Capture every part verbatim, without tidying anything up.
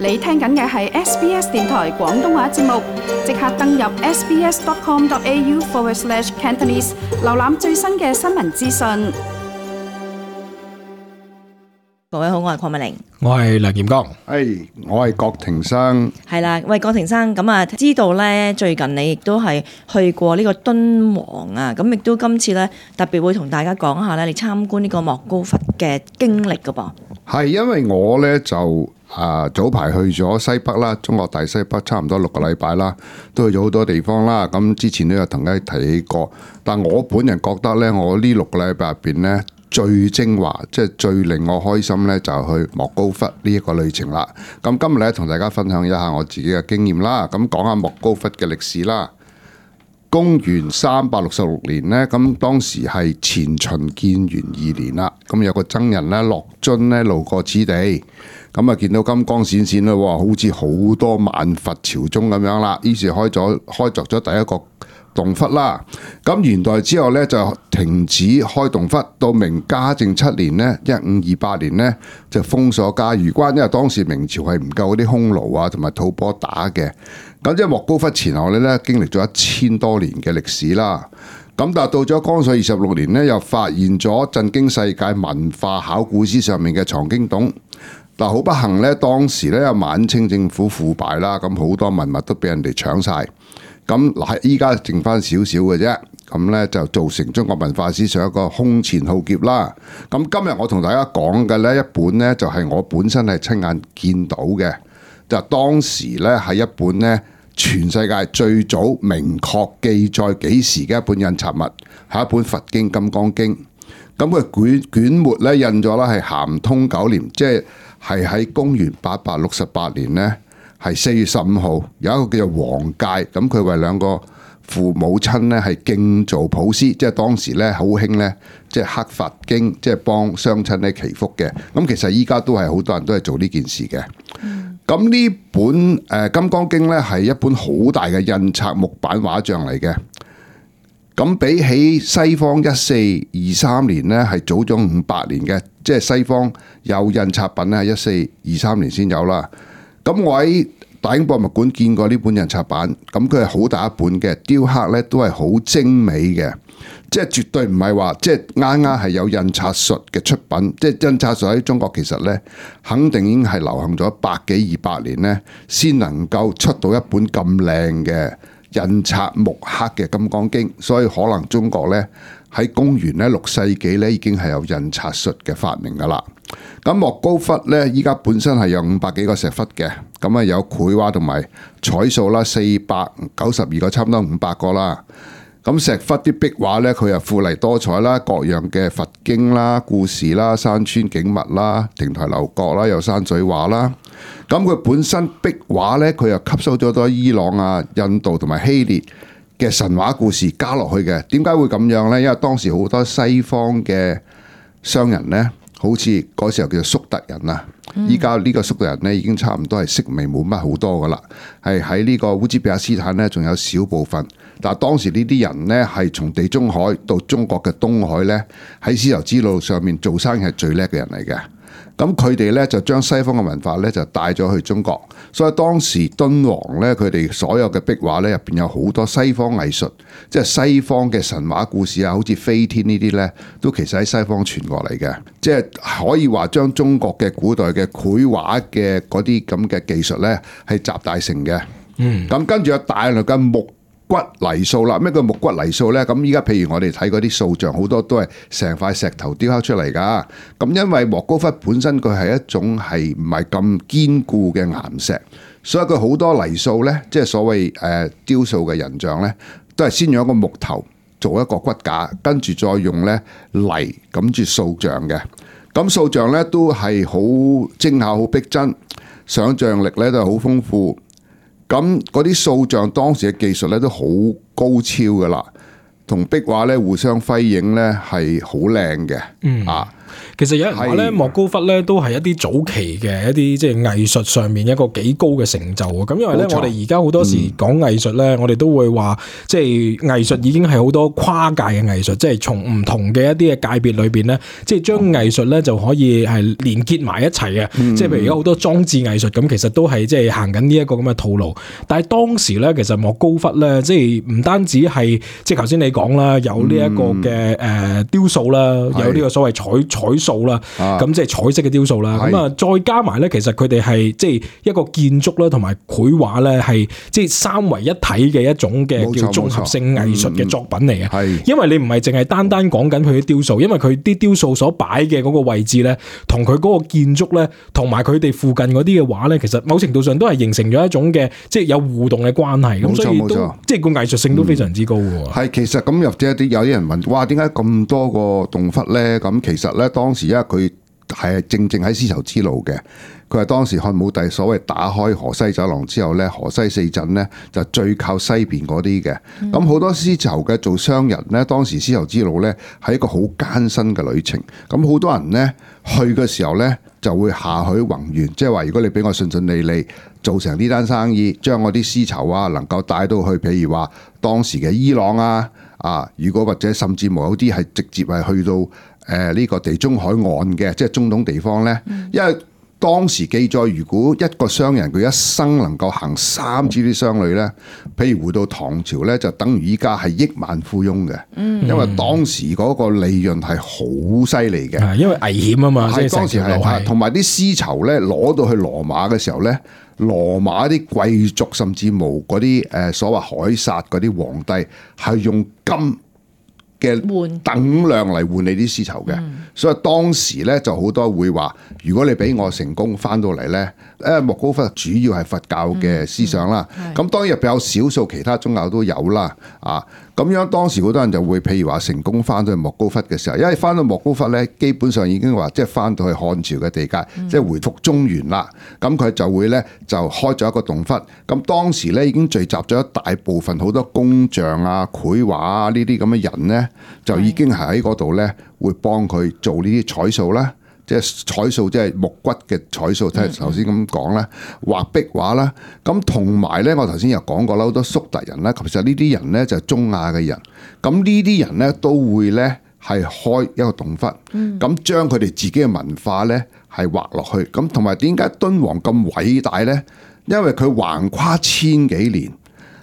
你聽緊嘅係 S B S 電台廣東話節目，即刻登入 sbs.com.au forward slash Cantonese， 瀏覽最新嘅新聞資訊。各位好，我係鄺美玲，我係梁劍剛，係我係郭庭生。係啦，喂，郭庭生，咁啊，知道咧最近你亦都係去過呢個敦煌啊，咁亦都今次咧特別會同大家講下咧，你參觀呢個莫高窟嘅經歷噶噃。係因為我咧就啊早排去咗西北啦，中國大西北差唔多六個禮拜啦，都去咗好多地方啦。咁之前都有同大家提起過，但我本人覺得咧，我呢六個禮拜入邊咧，最精華，即係最令我開心咧，就去莫高窟呢一個旅程啦。咁今日咧，同大家分享一下我自己嘅經驗啦。咁講下莫高窟嘅歷史啦。公元三百六十六年呢，咁當時係前秦建元二年啦。咁有個僧人咧，樂津咧路過此地，咁啊見到金光閃閃啦，好似好多萬佛朝宗咁樣啦。於是開咗開鑿咗第一個洞窟啦。咁元代之後咧就停止開洞窟，到明嘉靖七年呢，一五二八年呢，就封鎖嘉峪關，因為當時明朝係唔夠嗰啲匈奴啊同埋吐蕃打嘅。咁即係莫高窟前後咧經歷咗一千多年嘅歷史啦。咁但係到咗光緒二十六年呢，又發現咗震驚世界文化考古史上面嘅藏經洞。但好不幸咧，當時咧晚清政府腐敗啦，咁好多文物都俾人哋搶晒。咁嗱，依家剩翻少少嘅啫，咁咧就造成中國文化史上一個空前浩劫啦。咁今日我同大家講嘅呢一本呢，就係我本身係親眼見到嘅，就當時咧係一本呢全世界最早明確記載幾時嘅一本印刷物，係一本佛經《金剛經》。咁佢卷卷末咧印咗啦，係咸通九年，即係係喺公元八百六十八年呢。係四月十五號，有一個叫做黃介，咁佢為兩個父母親咧係敬造普施，即係當時咧好興咧，即係刻佛經，即係幫雙親咧祈福嘅。咁其實依家都係好多人都係做呢件事嘅。咁呢、嗯、本誒《金剛經》咧係一本好大嘅印刷木板畫像嚟嘅。咁比起西方一四二三年咧係早咗五百年嘅，即係西方有印刷品咧係一四二三年先有啦。咁我喺大英博物館見過呢本印刷版，咁佢係好大一本嘅，雕刻咧都係好精美嘅，即係絕對唔係話即係啱啱係有印刷術嘅出品，即係印刷術喺中國其實咧肯定已經係流行咗百幾二百年咧，先能夠出到一本咁靚嘅印刷木刻嘅《金剛經》，所以可能中國咧喺公元咧六世紀咧已經係有印刷術嘅發明噶啦。咁莫高窟咧，依家本身係有五百幾個石窟嘅，咁啊有繪畫同埋彩塑啦，四百九十二個，差唔多五百個啦。咁石窟啲壁畫咧，佢又富麗多彩啦，各樣嘅佛經啦、故事啦、山川景物啦、亭台樓閣啦，有山水畫啦。咁佢本身壁畫咧，佢又吸收咗多伊朗啊、印度同埋希臘嘅神話故事加落去嘅。點解會咁樣咧？因為當時好多西方嘅商人咧。好似嗰時候叫做粟特人啊，依家呢個粟特人咧已經差唔多係式微冇乜好多噶啦，係喺呢個烏茲比克斯坦咧仲有少部分，但係當時呢啲人咧係從地中海到中國嘅東海咧，喺絲綢之路上面做生意係最叻嘅人嚟嘅。咁佢哋咧就將西方嘅文化咧就帶咗去中國，所以當時敦煌咧佢哋所有嘅壁畫咧入邊有好多西方藝術，即係西方嘅神話故事啊，好似飛天呢啲咧，都其實喺西方傳過嚟嘅，即係可以話將中國嘅古代嘅繪畫嘅嗰啲咁嘅技術咧係集大成嘅。嗯，咁跟住有大量嘅木骨泥塑啦，咩叫木骨泥塑呢？咁依家譬如我哋睇嗰啲塑像，好多都係成塊石頭雕刻出嚟噶。咁因為莫高窟本身佢係一種係唔係咁堅固嘅岩石，所以佢好多泥塑呢，即係所謂誒雕塑嘅人像呢，都係先用一個木頭做一個骨架，跟住再用呢泥咁住塑像嘅。咁塑像呢都係好精巧、好逼真，想像力呢都係好豐富。咁嗰啲塑像當時嘅技術咧都好高超噶啦，同壁畫咧互相輝映咧係好靚嘅。嗯啊，其實有人話咧，莫高窟咧都係一啲早期嘅一啲即係藝術上面一個幾高嘅成就啊！咁因為咧，我哋而家好多時講藝術咧，嗯、我哋都會話，即係藝術已經係好多跨界嘅藝術，即係從唔同嘅一啲嘅界別裏邊咧，即係將藝術咧就可以係連結埋一齊嘅。嗯、即係譬如而家好多裝置藝術咁，其實都係即係行緊呢一個咁嘅套路。但係當時咧，其實莫高窟咧，即係唔單止係即係頭先你講啦，有呢一個嘅誒雕塑啦，嗯、有呢個所謂彩彩塑啦，咁即係彩色嘅雕塑啦。咁啊，再加埋咧，其實佢哋係即係一個建築啦，同埋繪畫咧，係即係三為一體嘅一種嘅叫綜合性藝術嘅作品嚟嘅。係、嗯，因為你唔係淨係單單講緊佢啲雕塑，因為佢啲雕塑所擺嘅嗰個位置咧，同佢嗰個建築咧，同埋佢哋附近嗰啲嘅畫咧，其實某程度上都係形成咗一種嘅即係有互動嘅關係。咁所以都即係個藝術性都非常之高嘅。係、嗯，其實咁又即係啲有啲人問，哇，點解咁多個洞窟咧？咁其實咧，當時因為佢係正正喺絲綢之路嘅，佢係當時漢武帝所謂打開河西走廊之後咧，河西四鎮咧就最靠西邊嗰啲嘅。咁好、嗯、多絲綢嘅做商人咧，當時絲綢之路咧係一個好艱辛嘅旅程。咁好多人咧去嘅時候咧就會下許宏願，即係話如果你俾我順順利利做成呢單生意，將我啲絲綢啊能夠帶到去，譬如話當時嘅伊朗啊啊，如果或者甚至冇有啲係直接係去到誒呢、呃這個地中海岸嘅，即係中東地方咧，嗯、因為當時記載，如果一個商人佢一生能夠行三次啲商旅咧，譬如回到唐朝咧，就等於依家係億萬富翁嘅。嗯，因為當時嗰個利潤係好犀利嘅，因為危險啊嘛。係當時係同埋啲絲綢咧攞到去羅馬嘅時候咧，羅馬啲貴族甚至冇嗰啲誒所謂凱撒嗰啲皇帝係用金嘅等量嚟換你啲絲綢嘅，嗯、所以當時咧就好多會話，如果你俾我成功翻到嚟咧，誒莫高窟主要係佛教嘅思想啦，咁、嗯嗯、當然入邊有少數其他宗教都有啦，啊，咁樣當時好多人就會譬如話成功翻到去莫高窟嘅時候，因為翻到莫高窟咧，基本上已經話即係翻到去漢朝嘅地界，嗯、即係回復中原啦，咁佢就會咧就開咗一個洞窟，咁當時咧已經聚集咗一大部分好多工匠啊、繪畫啊呢啲咁嘅人咧。就已經係喺嗰度咧，會幫佢做呢啲彩塑啦，即係彩塑，即係木骨嘅彩塑，即係頭先咁講啦，畫壁畫啦。咁同埋咧，我頭先又講過啦，好多粟特人啦，其實呢啲人咧就係中亞嘅人。咁呢啲人咧都會咧係開一個洞窟，咁將佢哋自己嘅文化咧係畫落去。咁同埋點解敦煌咁偉大咧？因為佢橫跨千幾年，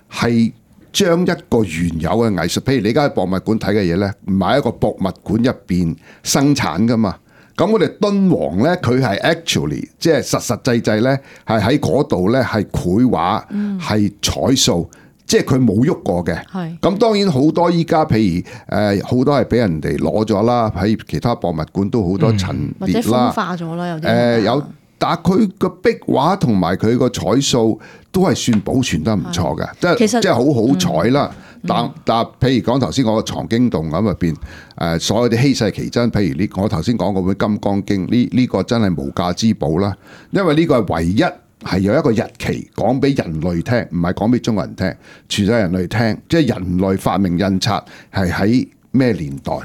係將一個原有嘅藝術，譬如你而家喺博物館睇嘅嘢咧，唔係一個博物館入邊生產噶嘛。咁我哋敦煌咧，佢係 actually 即係實實際際咧，係喺嗰度咧係繪畫，係彩塑，即係佢冇喐過嘅。係咁，當然好多依家譬如誒好多係俾人哋攞咗啦，喺其他博物館都好多陳列啦，或者風化咗啦，有啲誒有。但係佢個壁畫同埋佢個彩塑都係算保存得唔錯嘅，即係即係好好彩啦。但但譬如講頭先我個藏經洞咁入邊，誒所有啲稀世奇珍，譬如呢我頭先講嗰本《金剛經》，呢呢個真係無價之寶啦。因為呢個係唯一係有一個日期講俾人類聽，唔係講俾中國人聽，全世界人類聽，即係人類發明印刷係喺咩年代。咁、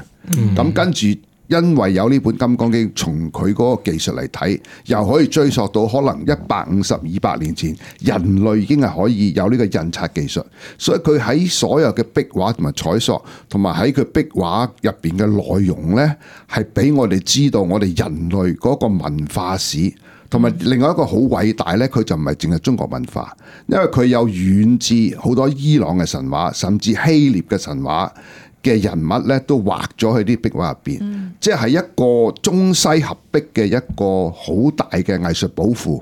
嗯、跟住。因為有呢本《金剛經》，從佢嗰個技術嚟睇，又可以追溯到可能一百五十、二百年前，人類已經係可以有呢個印刷技術，所以佢喺所有嘅壁畫同埋彩塑，同埋喺佢壁畫入邊嘅內容呢，係俾我哋知道我哋人類嗰個文化史，同埋另外一個好偉大呢，佢就唔係淨係中國文化，因為佢有遠至好多伊朗嘅神話，甚至希臘嘅神話嘅人物咧都畫咗喺啲壁畫入邊，嗯、即係一個中西合璧嘅一個好大嘅藝術寶庫，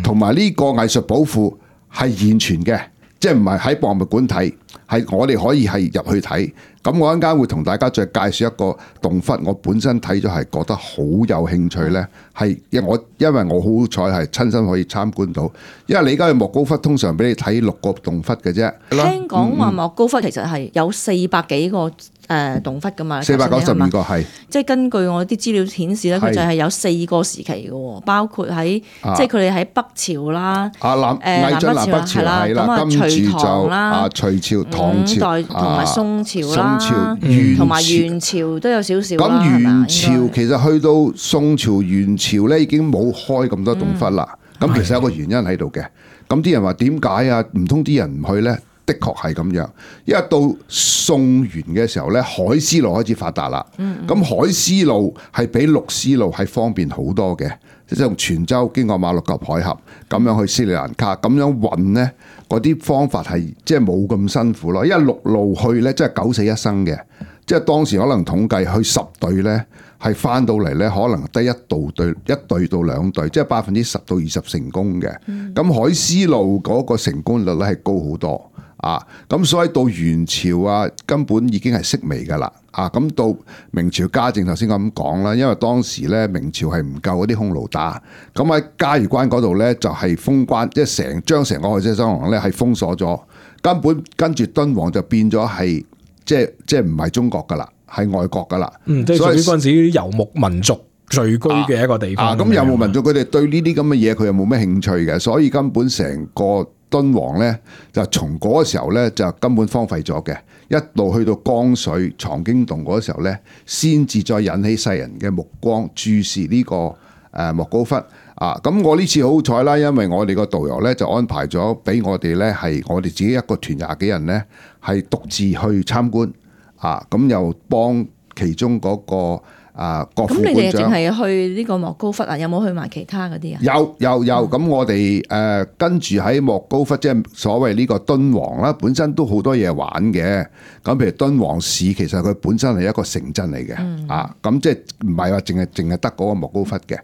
同埋呢個藝術寶庫係現存嘅，即係唔係喺博物館睇，係我哋可以係入去睇。咁我一陣間會同大家再介紹一個洞窟，我本身睇咗係覺得好有興趣咧，係因我因為我好彩係親身可以參觀到，因為你而家去莫高窟通常俾你睇六個洞窟嘅啫。聽講話莫高窟其實係有四百幾個誒洞窟噶嘛，四百九十二個係，即係根據我啲資料顯示咧，佢就係有四個時期嘅，包括喺即係佢哋喺北朝啦，啊南魏晉南北朝係啦，跟住就啊隋朝朝、唐朝代同埋宋朝啦，宋朝、元朝同埋元朝都有少少啦。咁元朝係咪其實去到宋朝、元朝咧，已經冇開咁多洞窟啦。咁、嗯、其實有個原因喺度嘅。咁啲人話點解啊？唔通啲人唔去咧？的確係咁樣，因為到宋元嘅時候咧，海絲路開始發達啦。咁、嗯嗯、海絲路係比陸絲路係方便好多嘅，即係從泉州經過馬六甲海峽咁樣去斯里蘭卡，咁樣運咧，嗰啲方法係即係冇咁辛苦咯。因為陸路去咧，即係九死一生嘅，即係當時可能統計去十隊咧，係翻到嚟咧，可能得一度隊一隊到兩隊，即係百分之十到二十成功嘅。咁、嗯、海絲路嗰個成功率咧係高好多。啊，咁所以到元朝啊，根本已經係式微噶啦。啊，咁到明朝嘉靖頭先咁講啦，因為當時咧明朝係唔夠嗰啲匈奴打，咁喺嘉峪關嗰度咧就係封關，即係成將成個海西三王咧係封鎖咗，根本跟住敦煌就變咗係即係即係唔係中國噶啦，係外國噶啦。嗯，即係屬於嗰陣時啲遊牧民族聚居嘅一個地方。啊，咁遊牧民族佢哋對呢啲咁嘅嘢佢又冇咩興趣嘅，所以根本成個敦煌咧就從嗰個時候咧就根本荒廢咗嘅，一路去到江水藏經洞嗰個時候咧，先至再引起世人嘅目光注視呢個誒莫高窟啊！咁我呢次好彩啦，因為我哋個導遊咧就安排咗俾我哋咧係我哋自己一個團廿幾人咧係獨自去參觀啊！咁又幫其中嗰個。啊！國副館長，咁你哋淨係去呢個莫高窟啊？有冇去埋其他嗰啲啊？有有有，咁、嗯、我哋誒、呃、跟住喺莫高窟，即係所謂呢個敦煌啦，本身都好多嘢玩嘅。咁譬如敦煌市，其實佢本身係一個城鎮嚟嘅，嗯、啊，咁即係唔係話淨係淨係得嗰個莫高窟嘅。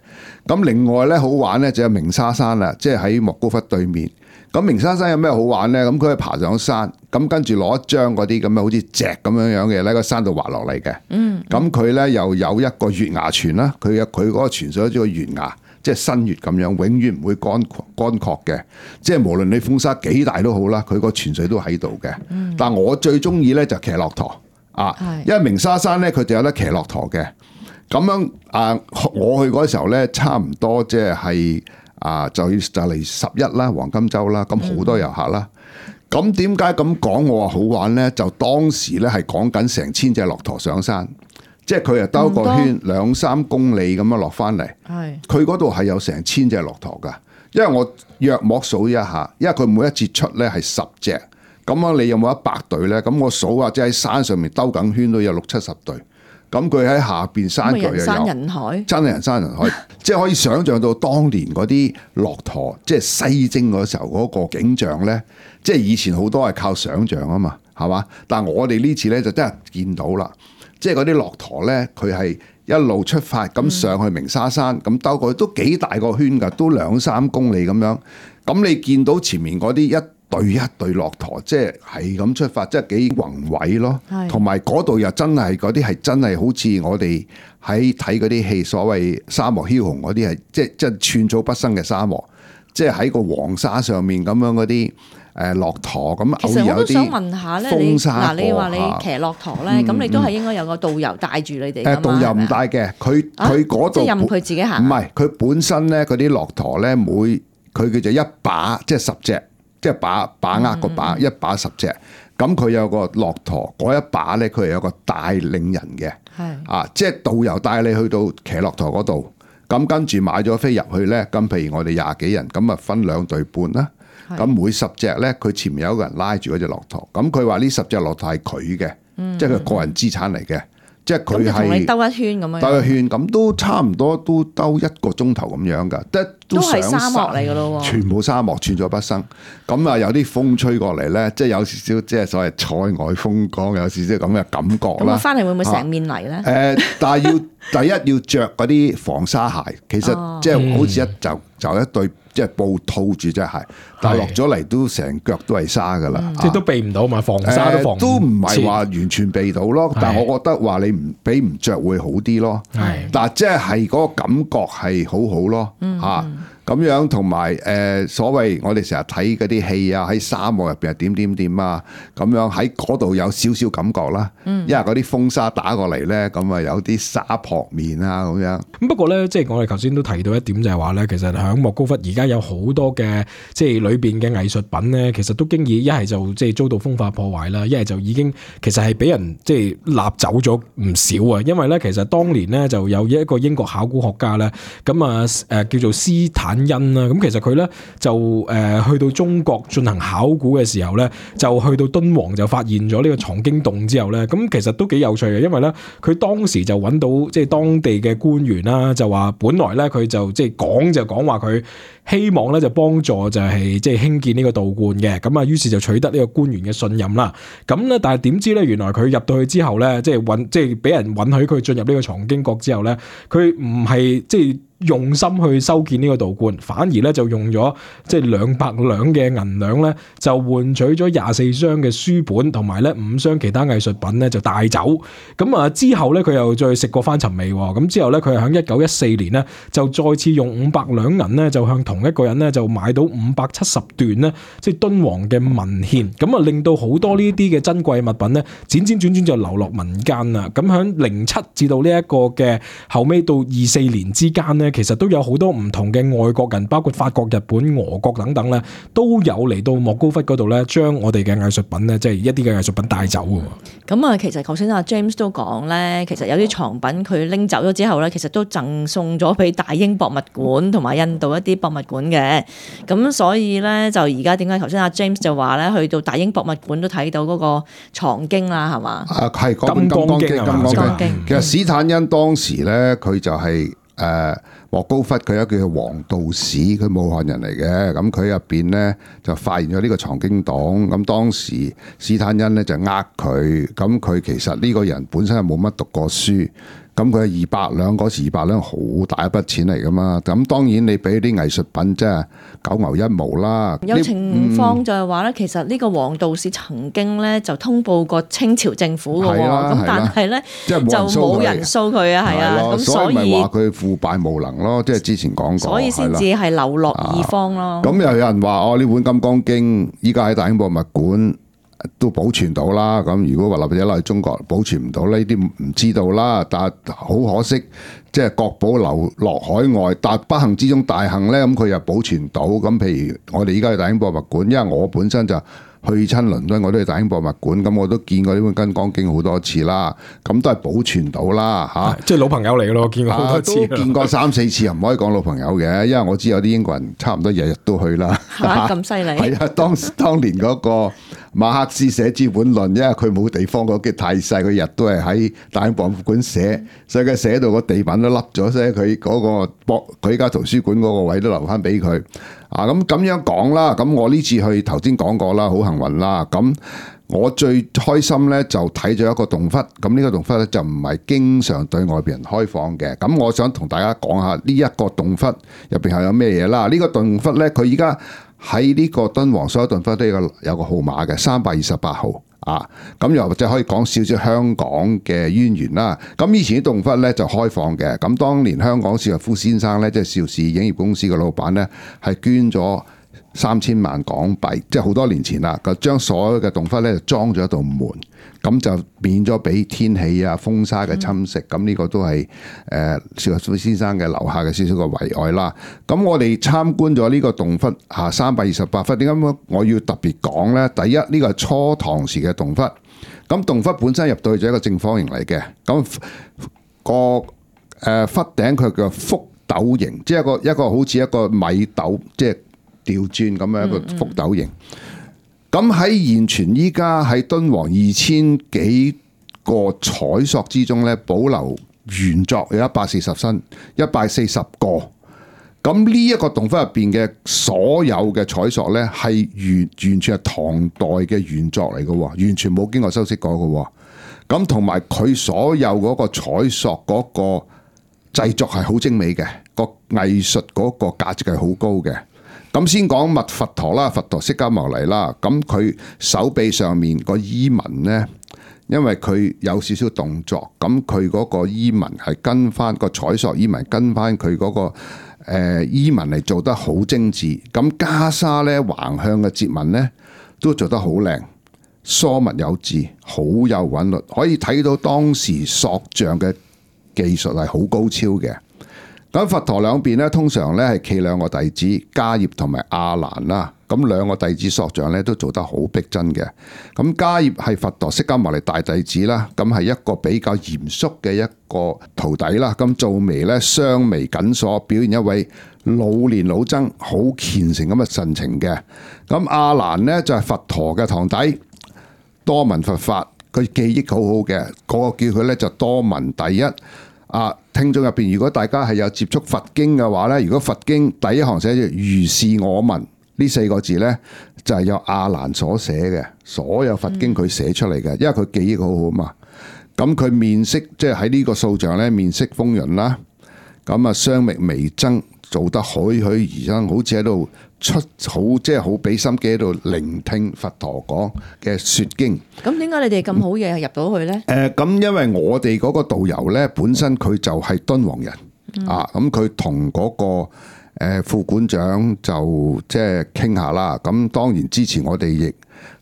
咁另外咧好玩咧就有鳴沙山啦，即係喺莫高窟對面。咁鳴沙山有咩好玩咧？咁佢係爬上山，咁跟住攞一張嗰啲咁嘅好似石咁樣樣嘅喺個山度滑落嚟嘅。嗯，咁佢咧又有一個月牙泉啦，佢有佢嗰個泉水好似個月牙，即係新月咁樣，永遠唔會乾乾涸嘅。即係無論你風沙幾大都好啦，佢個泉水都喺度嘅。嗯、但係我最中意咧就騎駱駝啊，因為鳴沙山咧佢就有得騎駱駝嘅。咁樣啊，我去嗰時候咧，差唔多即係。啊，就就嚟十一啦，黃金週啦，咁好多遊客啦。咁點解咁講我話好玩咧？就當時咧係講緊成千隻駱駝上山，即係佢又兜個圈兩三公里咁樣落翻嚟。係，佢嗰度係有成千隻駱駝噶。因為我約莫數一下，因為佢每一節出咧係十隻，咁樣你有冇一百隊咧？咁我數下，即係喺山上面兜緊圈都有六七十隊。咁佢喺下邊山腳又有，人山人海，真係人山人海，即係可以想像到當年嗰啲駱駝，即係西征嗰時候嗰個景象咧，即係以前好多係靠想像啊嘛，係嘛？但係我哋呢次咧就真係見到啦，即係嗰啲駱駝咧，佢係一路出發咁上去鳴沙山，咁兜過去都幾大個圈㗎，都兩三公里咁樣。咁你見到前面嗰啲一對一對駱駝，即係係咁出發，即係幾宏偉咯。同埋嗰度又真係嗰啲係真係好似我哋喺睇嗰啲戲，所謂沙漠梟雄嗰啲係，即係即係寸草不生嘅沙漠，即係喺個黃沙上面咁樣嗰啲誒駱駝咁。其實我都想問下咧，你嗱你話你騎駱駝咧，咁、嗯、你都係應該有個導遊帶住你哋㗎嘛？誒導遊唔帶嘅，佢佢嗰度即係任佢自己行。唔係佢本身咧，嗰啲駱駝咧，每佢叫做一把，即係十隻。即係把把握個把，一把十隻，咁佢有個駱駝嗰一把咧，佢係有個帶領人嘅，係啊，即係導遊帶你去到騎駱駝嗰度，咁跟住買咗飛入去咧，咁譬如我哋廿幾人，咁啊分兩隊半啦，咁每十隻咧，佢前面有一個人拉住嗰隻駱駝，咁佢話呢十隻駱駝係佢嘅，嗯、即係佢個人資產嚟嘅。即係佢係同你兜一圈咁樣，兜一圈咁都差唔多，都兜一個鐘頭咁樣㗎，都係沙漠嚟㗎咯喎，全部沙漠，寸草不生。咁啊，有啲風吹過嚟咧，即係有少少即係所謂塞外風光，有少少咁嘅感覺啦。咁我翻嚟會唔會成面泥咧？誒、呃，但係要第一要着嗰啲防沙鞋，其實即係好似一就就一對。即係布套住隻鞋，但係落咗嚟都成腳都係沙噶啦，嗯啊、即係都避唔到嘛，防沙都防唔、呃、都唔係話完全避到咯。是但係我覺得話你唔俾唔着會好啲咯。係是，但係即係係嗰個感覺係好好咯。嚇、嗯，咁樣同埋誒所謂我哋成日睇嗰啲戲啊，喺沙漠入邊係點點點啊，咁樣喺嗰度有少少感覺啦。因為嗰啲風沙打過嚟咧，咁啊有啲沙撲面啊咁樣。咁不過咧，即係我哋頭先都提到一點就係話咧，其實喺莫高窟而家有好多嘅即係裏邊嘅藝術品咧，其實都經已一係就即係遭到風化破壞啦，一係就已經其實係俾人即係立走咗唔少啊。因為咧，其實當年咧就有一個英國考古學家咧，咁啊誒叫做斯坦恩啦。咁其實佢咧就誒去到中國進行考古嘅時候咧，就去到敦煌就發現咗呢個藏經洞之後咧，咁其實都幾有趣嘅，因為咧佢當時就揾到即係當地嘅官員啦，就話本來咧佢就即係講就講話佢希望咧就幫助就係即係興建呢個道觀嘅，咁啊於是就取得呢個官員嘅信任啦。咁咧但係點知咧原來佢入到去之後咧，即係允即係俾人允許佢進入呢個藏經閣之後咧，佢唔係即係用心去修建呢個道觀，反而咧就用咗即係兩百兩嘅銀兩咧，就換取咗廿四箱嘅書本同埋咧五箱其他藝術品咧就帶走。咁啊之後咧佢又再食過翻尋味喎。咁之後咧佢係喺一九一四年咧就再次用五百兩銀咧就向同一個人咧就買到五百七十段咧即係敦煌嘅文獻。咁啊令到好多呢啲嘅珍貴物品咧輾轉轉轉就流落民間啦。咁喺零七至到呢一個嘅後尾到二四年之間咧，其實都有好多唔同嘅外國人，包括法國、日本、俄國等等咧，都有嚟到莫高窟嗰度咧，將我哋嘅藝術品咧，即係一啲嘅藝術品帶走嘅。咁啊，其實頭先阿 James 都講咧，其實有啲藏品佢拎走咗之後咧，其實都贈送咗俾大英博物館同埋印度一啲博物館嘅。咁所以咧，就而家點解頭先阿 James 就話咧，去到大英博物館都睇到嗰個藏經啦，係嘛？啊，係嗰本《金剛經》啊，《金剛經》。其實史坦恩當時咧，佢就係、是。誒、呃、莫高窟佢有一個叫黃道士，佢武漢人嚟嘅，咁佢入邊咧就發現咗呢個藏經洞，咁當時史坦恩咧就呃佢，咁佢其實呢個人本身係冇乜讀過書。咁佢係二百兩，嗰時二百兩好大一筆錢嚟噶嘛，咁當然你俾啲藝術品即係九牛一毛啦。有情況就係話咧，嗯、其實呢個黃道士曾經咧就通報過清朝政府嘅喎，咁但係咧就冇人訴佢啊，係啊，咁所以咪話佢腐敗無能咯，即係之前講過，所以先至係流落異方咯。咁、啊、又有人話哦，呢本《金剛經》依家喺大英博物館都保存到啦，咁如果話或者落去中國保存唔到呢啲唔知道啦，但係好可惜，即係國寶流落海外，但不幸之中大幸咧，咁佢又保存到。咁譬如我哋依家去大英博物館，因為我本身就去親倫敦，我都去大英博物館，咁我都見過呢本《金剛經》好多次啦，咁都係保存到啦嚇。即係老朋友嚟嘅咯，見過好多次，啊、都見過三四次，又唔可以講老朋友嘅，因為我知有啲英國人差唔多日日都去啦。嚇咁犀利！係啊，當當年嗰個馬克思寫資本論，因為佢冇地方，個機太細，佢日都係喺大英博物館寫，所以佢寫到個地板都凹咗，所以佢嗰個博佢依家圖書館嗰個位都留翻俾佢。啊，咁咁樣講啦，咁我呢次去頭先講過啦，好幸運啦。咁我最開心咧就睇咗一個洞窟，咁呢個洞窟咧就唔係經常對外邊人開放嘅。咁我想同大家講下呢一個洞窟入邊係有咩嘢啦。呢個洞窟咧，佢依家喺呢個敦煌所有洞窟都有個有個號碼嘅，三百二十八號。啊，咁又或者可以講少少香港嘅淵源啦。咁以前啲洞窟咧就開放嘅，咁當年香港邵逸夫先生咧，即係邵氏影業公司嘅老闆咧，係捐咗三千萬港幣，即係好多年前啦，就將所有嘅洞窟咧就裝咗一道門，咁就免咗俾天氣啊、風沙嘅侵蝕。咁呢、嗯、個都係誒邵逸夫先生嘅留下嘅少少嘅遺愛啦。咁我哋參觀咗呢個洞窟嚇三百二十八窟，點解我要特別講咧？第一，呢、這個係初唐時嘅洞窟。咁洞窟本身入到去就係一個正方形嚟嘅，咁、那個誒窟頂佢叫覆斗形，即係一個一個好似一個米斗，即係調轉咁樣一個覆斗形。咁喺現存依家喺敦煌二千幾個彩塑之中咧，保留原作有一百四十身，一百四十個。咁呢一個洞窟入邊嘅所有嘅彩塑咧，係完完全係唐代嘅原作嚟嘅，完全冇經過修飾過嘅。咁同埋佢所有嗰個彩塑嗰個製作係好精美嘅，個藝術嗰個價值係好高嘅。咁先講密佛陀啦，佛陀釋迦牟尼啦，咁佢手臂上面個衣紋咧，因為佢有少少動作，咁佢嗰個衣紋係跟翻個彩塑衣紋跟翻佢嗰個誒衣紋嚟做得好精緻。咁袈裟咧橫向嘅折紋咧都做得好靚，疏密有致，好有韻律，可以睇到當時塑像嘅技術係好高超嘅。咁佛陀兩邊咧，通常咧係企兩個弟子，迦葉同埋阿難啦。咁兩個弟子塑像咧都做得好逼真嘅。咁迦葉係佛陀釋迦牟尼大弟子啦，咁係一個比較嚴肅嘅一個徒弟啦。咁做眉咧雙眉緊鎖，表現一位老練老僧好虔誠咁嘅神情嘅。咁阿難呢，就係佛陀嘅堂弟，多聞佛法，佢記憶好好嘅，嗰個叫佢咧就多聞第一。啊，聽眾入邊，如果大家係有接觸佛經嘅話咧，如果佛經第一行寫住如是我聞呢四個字咧，就係由阿難所寫嘅，所有佛經佢寫出嚟嘅，因為佢記憶好好嘛。咁佢面色即係喺呢個塑像咧，面色豐潤啦，咁啊雙目微睜，做得栩栩如生，好似喺度出好即係好俾心機喺度聆聽佛陀講嘅說經。咁點解你哋咁好嘢入到去呢？誒、嗯，咁、呃、因為我哋嗰個導遊呢，本身佢就係敦煌人、嗯、啊，咁佢同嗰個誒副館長就即係傾下啦。咁當然之前我哋亦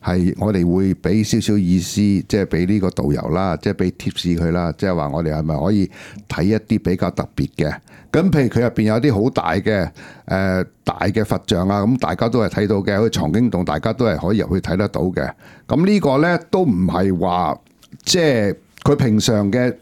係我哋會俾少少意思，即係俾呢個導遊啦，即係俾 tips 佢啦，即係話我哋係咪可以睇一啲比較特別嘅？咁譬如佢入邊有啲好大嘅誒、呃、大嘅佛像啊，咁大家都係睇到嘅，好似藏經洞，大家都係可以入去睇得到嘅。咁呢個呢，都唔係話即係佢平常嘅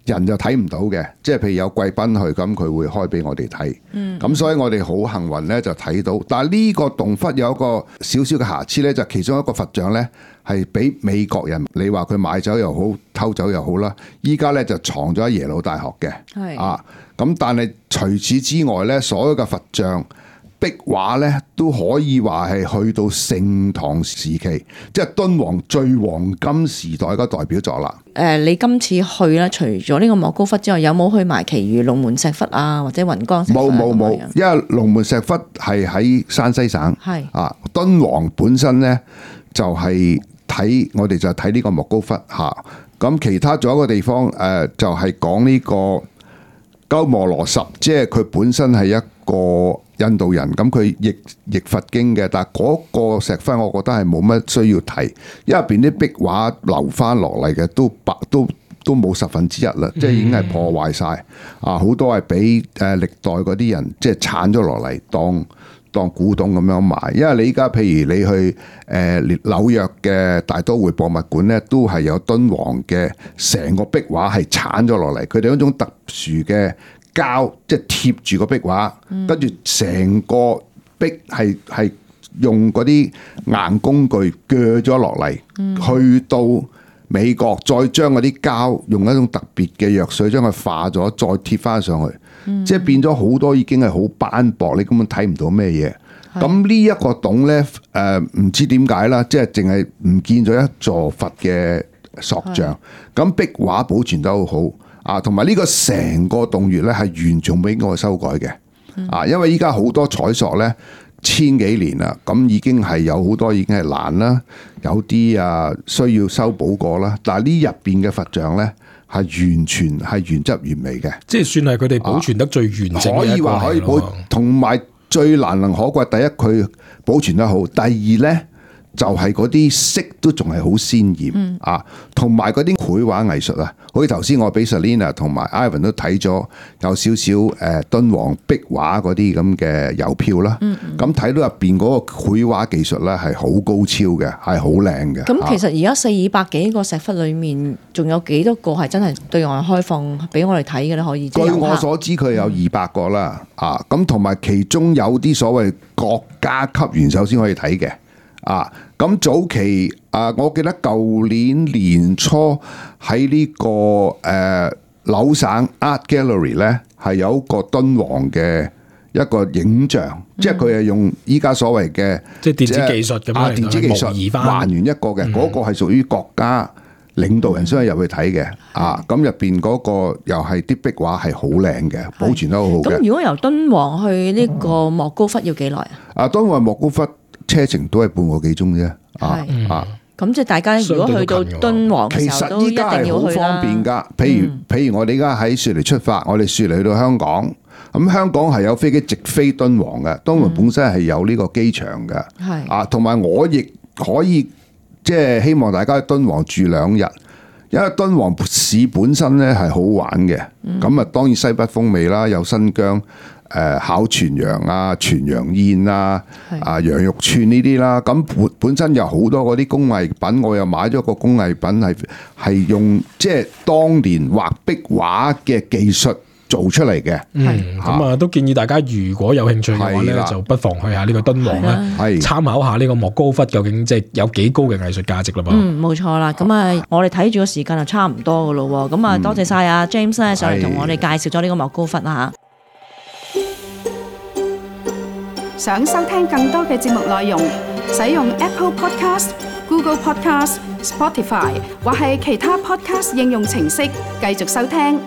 人就睇唔到嘅，即係譬如有貴賓去，咁佢會開俾我哋睇。嗯，咁所以我哋好幸運呢，就睇到。但係呢個洞窟有一個少少嘅瑕疵呢，就其中一個佛像呢，係俾美國人，你話佢買走又好，偷走又好啦。依家呢，就藏咗喺耶魯大學嘅。係啊。咁但係除此之外咧，所有嘅佛像壁畫咧都可以話係去到盛唐時期，即係敦煌最黃金時代嘅代表作啦。誒、呃，你今次去咧，除咗呢個莫高窟之外，有冇去埋其餘龍門石窟啊，或者雲岡石窟？冇冇冇，因為龍門石窟係喺山西省。係啊，敦煌本身咧就係、是、睇我哋就睇呢個莫高窟嚇。咁、啊、其他仲有一個地方誒、呃，就係、是、講呢、這個。鳩摩羅什，即係佢本身係一個印度人，咁佢譯譯佛經嘅，但係嗰個石窟我覺得係冇乜需要提，因為入邊啲壁畫留翻落嚟嘅都白都都冇十分之一啦，即係已經係破壞晒啊！好多係俾誒歷代嗰啲人即係鏟咗落嚟當當古董咁樣賣，因為你依家譬如你去誒紐約嘅大都會博物館咧，都係有敦煌嘅成個壁畫係鏟咗落嚟，佢哋嗰種特殊嘅膠即係貼住個壁畫，跟住成個壁係係用嗰啲硬工具鋸咗落嚟，去到美國再將嗰啲膠用一種特別嘅藥水將佢化咗，再貼翻上去。嗯、即係變咗好多，已經係好斑駁，你根本睇唔到咩嘢。咁呢一個洞呢，誒、呃、唔知點解啦，即係淨係唔見咗一座佛嘅塑像。咁壁畫保存得好好啊，同埋呢個成個洞穴呢，係完全冇經過修改嘅啊，因為依家好多彩塑呢，千幾年啦，咁已經係有好多已經係爛啦，有啲啊需要修補過啦。但係呢入邊嘅佛像呢，係完全係原汁原味嘅，即係算係佢哋保存得最完整嘅一個。可以話可以保，同埋最難能可貴。第一，佢保存得好；第二呢，就係嗰啲色都仲係好鮮豔啊，同埋嗰啲繪畫藝術啊。好似頭先我俾 Selina 同埋 Ivan 都睇咗有少少誒敦煌壁畫嗰啲咁嘅郵票啦。咁睇到入邊嗰個繪畫技術咧係好高超嘅，係好靚嘅。咁其實而家四百幾個石窟裏面，仲有幾多個係真係對外開放俾我哋睇嘅咧？可以？據我所知，佢有二百個啦。啊，咁同埋其中有啲所謂國家級元首先可以睇嘅。啊，咁早期啊，我記得舊年年初喺呢、這個誒紐、呃、省 Art Gallery 咧，係有一個敦煌嘅一個影像，嗯、即係佢係用依家所謂嘅即係電子技術咁樣，電子技術還原一個嘅，嗰、嗯、個係屬於國家領導人先可以入去睇嘅。嗯、啊，咁入邊嗰個又係啲壁畫係好靚嘅，保存得好好嘅。咁如果由敦煌去呢個莫高窟要幾耐啊？啊，敦煌莫高窟車程都係半個幾鐘啫，啊啊！咁即係大家如果去到敦煌嘅時候都一定要去啦。其實依家係好方便㗎，譬如、嗯、譬如我哋而家喺雪梨出發，我哋雪梨去到香港，咁香港係有飛機直飛敦煌嘅，敦煌本身係有呢個機場嘅，係啊，同埋我亦可以即係希望大家喺敦煌住兩日。因為敦煌市本身咧係好玩嘅，咁啊、嗯、當然西北風味啦，有新疆誒烤全羊啊、全羊宴啊、啊是羊肉串呢啲啦，咁本本身有好多嗰啲工藝品，我又買咗個工藝品係係用即係當年畫壁畫嘅技術做出嚟嘅。嗯，咁啊都建議大家如果有興趣嘅話咧，就不妨去下呢個敦煌啦，參考下呢個莫高窟究竟即係有幾高嘅藝術價值啦噃。嗯，冇錯啦。咁啊，我哋睇住個時間就差唔多噶咯喎。咁啊，多謝晒阿 James 咧上嚟同我哋介紹咗呢個莫高窟啦嚇。想收聽更多嘅節目內容，使用 Apple Podcast、Google Podcast、Spotify 或係其他 Podcast 應用程式繼續收聽。